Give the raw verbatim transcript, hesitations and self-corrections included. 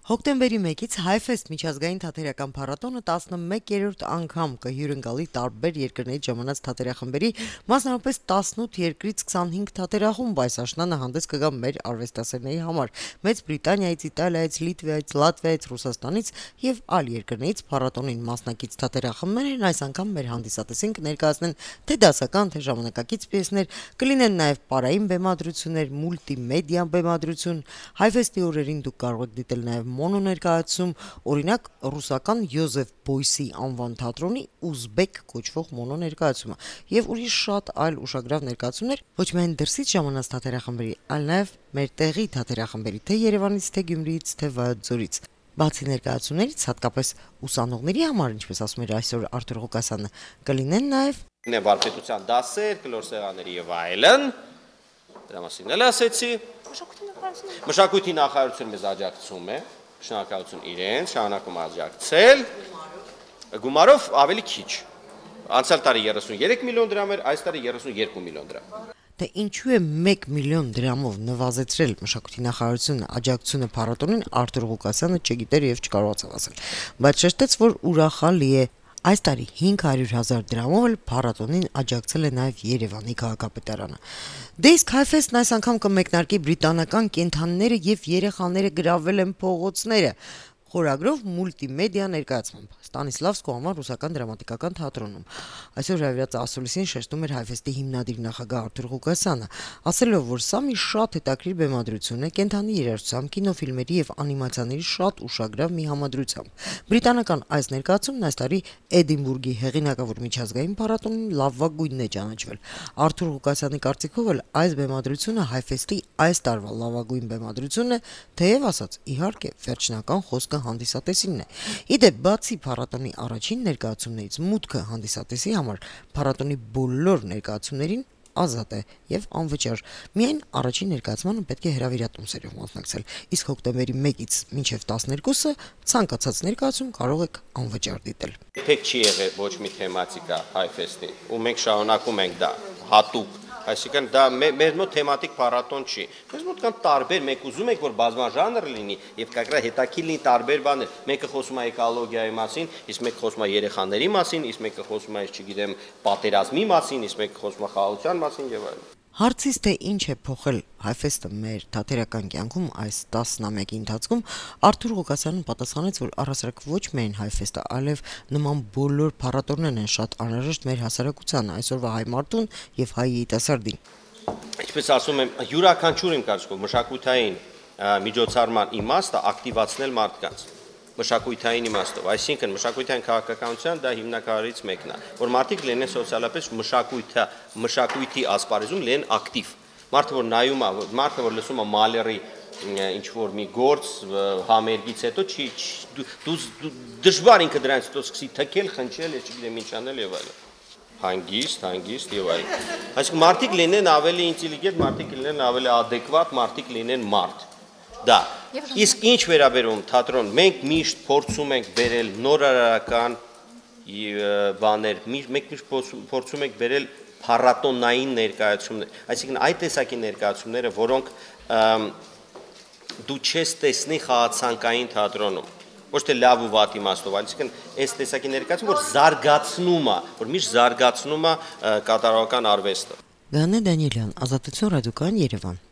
Հոկտեմբերի մեկից Հայֆեստ միջազգային թատերական փառատոնը տասնմեկերորդ անգամ կհյուրընկալի տարբեր երկրներից ժամանած թատերախմբերի, մասնավորապես տասնութ երկրից քսանհինգ թատերախումբ այս աշնանը հանդես կգա մեր արվեստասերների համար։ Մեծ Բրիտանիայից, Իտալիայից, Լիտվայից, Լատվիայից, Ռուսաստանից եւ այլ երկրներից փառատոնին մասնակից թատերախմբերն այս անգամ մեր հանդիսատեսին կներկայացնեն թե դասական, թե ժամանակակից պիեսներ, կլինեն նաեւ պարային բեմադրություններ, մուլտիմեդիա բեմադրություն։ Հայֆեստի օրերին դուք կարող եք դիտել նաեւ մոնո ներկայացում, օրինակ ռուսական Յոզեֆ Բոյսի անվան թատրոնի ուզբեկ կոչվող մոնո ներկայացումը եւ ուրիշ շատ այլ ուշագրավ ներկայացումներ ոչ միայն դրսից ժամանած թատերախմբերի, այլ նաեւ մեր տեղի թատերախմբերի, թե Երևանից, թե Գյումրիից, թե Վայոց Բացի ներկայացումներից, հատկապես ուսանողների համար, ինչպես ասում էր այսօր Արթուր Ղուկասյանը, կլինեն նաեւ վարպետության դասեր, կլոր սեղանների եւ այլն։ Դրա մասին էլ ասեցի։ Մշակույթի նախարարությունը մեզ աջակցում է, շնորհակալություն իրենց, շարունակում աջակցել։ Գումարով ավելի քիչ։ Անցյալ տարի երեսունյոթ միլիոն դրամ էր, այս տարի երեսունյոթ միլիոն դրամ։ Թե ինչու է մեկ միլիոն դրամով նվազեցրել մշակույթի նախարարությունը աջակցությունը փառատոնին, Արթուր Ղուկասյանը չգիտեր եւ չկարողացավ ասել, բայց շեշտեց, որ ուրախալի է այս տարի հինգ հարյուր հազար դրամով էլ փառատոնին աջակցել է նաեւ Երևանի քաղաքապետարանը։ Դե իսկ Հայֆեստն այս անգամ կմեկնարկի բրիտանական կենդանիները եւ երեխաները գրավել են փողոցները խորագրով մուլտիմեդիա ներկայացմամբ Ստանիսլավսկու անվան ռուսական դրամատիկական թատրոնում։ Այսօր հրավիրած ասուլիսին շեշտում էր Հայֆեստի հիմնադիր նախագահ Արթուր Ղուկասյանը, ասելով, որ սա մի շատ հետաքրքիր բեմադրություն է կենդանի երաժշտությամբ, կինոֆիլմերի եւ անիմացիաների շատ ուշագրավ մի համադրությամբ։ Բրիտանական այս ներկայացումն այս տարի Էդինբուրգի հեղինակավոր միջազգային փառատոնին լավագույնն է ճանաչվել։ Արթուր Ղուկասյանի կարծիքով էլ այս բեմադրությունը Հայֆեստի այս տարվա լավագույն բեմադրությունն է, թեև ասած, իհարկե, վերջնական խոսքը հանդիսատեսինն է։ Իդեպ բացի փառատոնի առաջին ներկայացումներից մուտքը հանդիսատեսի համար փառատոնի բոլոր ներկայացումներին ազատ է եւ անվճար։ Միայն առաջին ներկայացմանը պետք է հրավիրատոմսերով մասնակցել, իսկ հոկտեմբերի մեկից մինչեւ տասներկուսը ցանկացած ներկայացում կարող եք անվճար դիտել։ Երբեք չի եղել ոչ մի թեմատիկա Հայֆեստի, ու մենք շարունակում ենք դա հատուկ, այսինքն դա մեր մոտ թեմատիկ փառատոն չի։ Մեզ մոտ կան տարբեր, մենք ուզում ենք որ բազմաժանր լինի եւ կակրա հետաքրքիր լինի տարբեր բաներ։ Մեկը խոսում է էկոլոգիայի մասին, իսկ մեկը խոսում է երեխաների մասին, իսկ մեկը խոսում է, չգիտեմ, պատերազմի մասին, իսկ մեկը խոսում է խաղաղության մասին եւ այլն։ Հարցից թե ինչ է փոխել Հայֆեստը մեր թատերական կյանքում այս տասնամյակի ընթացքում, Արթուր Ղուկասյանն պատասխանեց, որ առասարակ ոչ միայն Հայֆեստը, այլև նման բոլոր փառատոներն են շատ անհրաժեշտ մեր հասարակությանը, այսօրվա հայ մարդուն եւ հայ երիտասարդին։ Ինչպես ասում եմ, յուրաքանչյուր իմ կարծիքով մշակութային միջոցառման իմաստը ակտիվացնել մարդկանց։ Մշակութային իմաստով, այսինքն մշակութային քաղաքականության դա հիմնակարից մեկն է, որ մարդիկ լինեն սոցիալապես մշակույթը, մշակույթի ասպարեզում լինեն ակտիվ։ Մարդը որ նայում է, մարդը որ լսում է Մալերի ինչ որ մի գործ համերգից հետո չի դու դժվար ինքը դրանից հետո սկսի թքել, խնչել, չգիտեմ ինչ անել եւ այլն։ Հանգիստ, հանգիստ եւ այլն։ Այսինքն մարդիկ լինեն ավելի ինտելիգենտ, մարդիկ լինեն ավելի adekvat, մարդիկ լինեն մարդ։ Դա իսկ ինչ վերաբերում թատրոն, մենք միշտ փորձում ենք բերել նորարարական բաներ, մենք միշտ փորձում ենք բերել փառատոնային ներկայացումներ, այսինքն այդ տեսակի ներկայացումները, որոնք դու չես տեսնի խաղացանկային թատրոնում, ոչ թե լավ ու վատ իմաստով, այսինքն այս տեսակի ներկայացում, որ զարգացնում է, որ միշտ զարգացնում է կատարողական արվեստը։ Գանե Դանիելյան, Ազատություն ռադիոկայան, Երևան։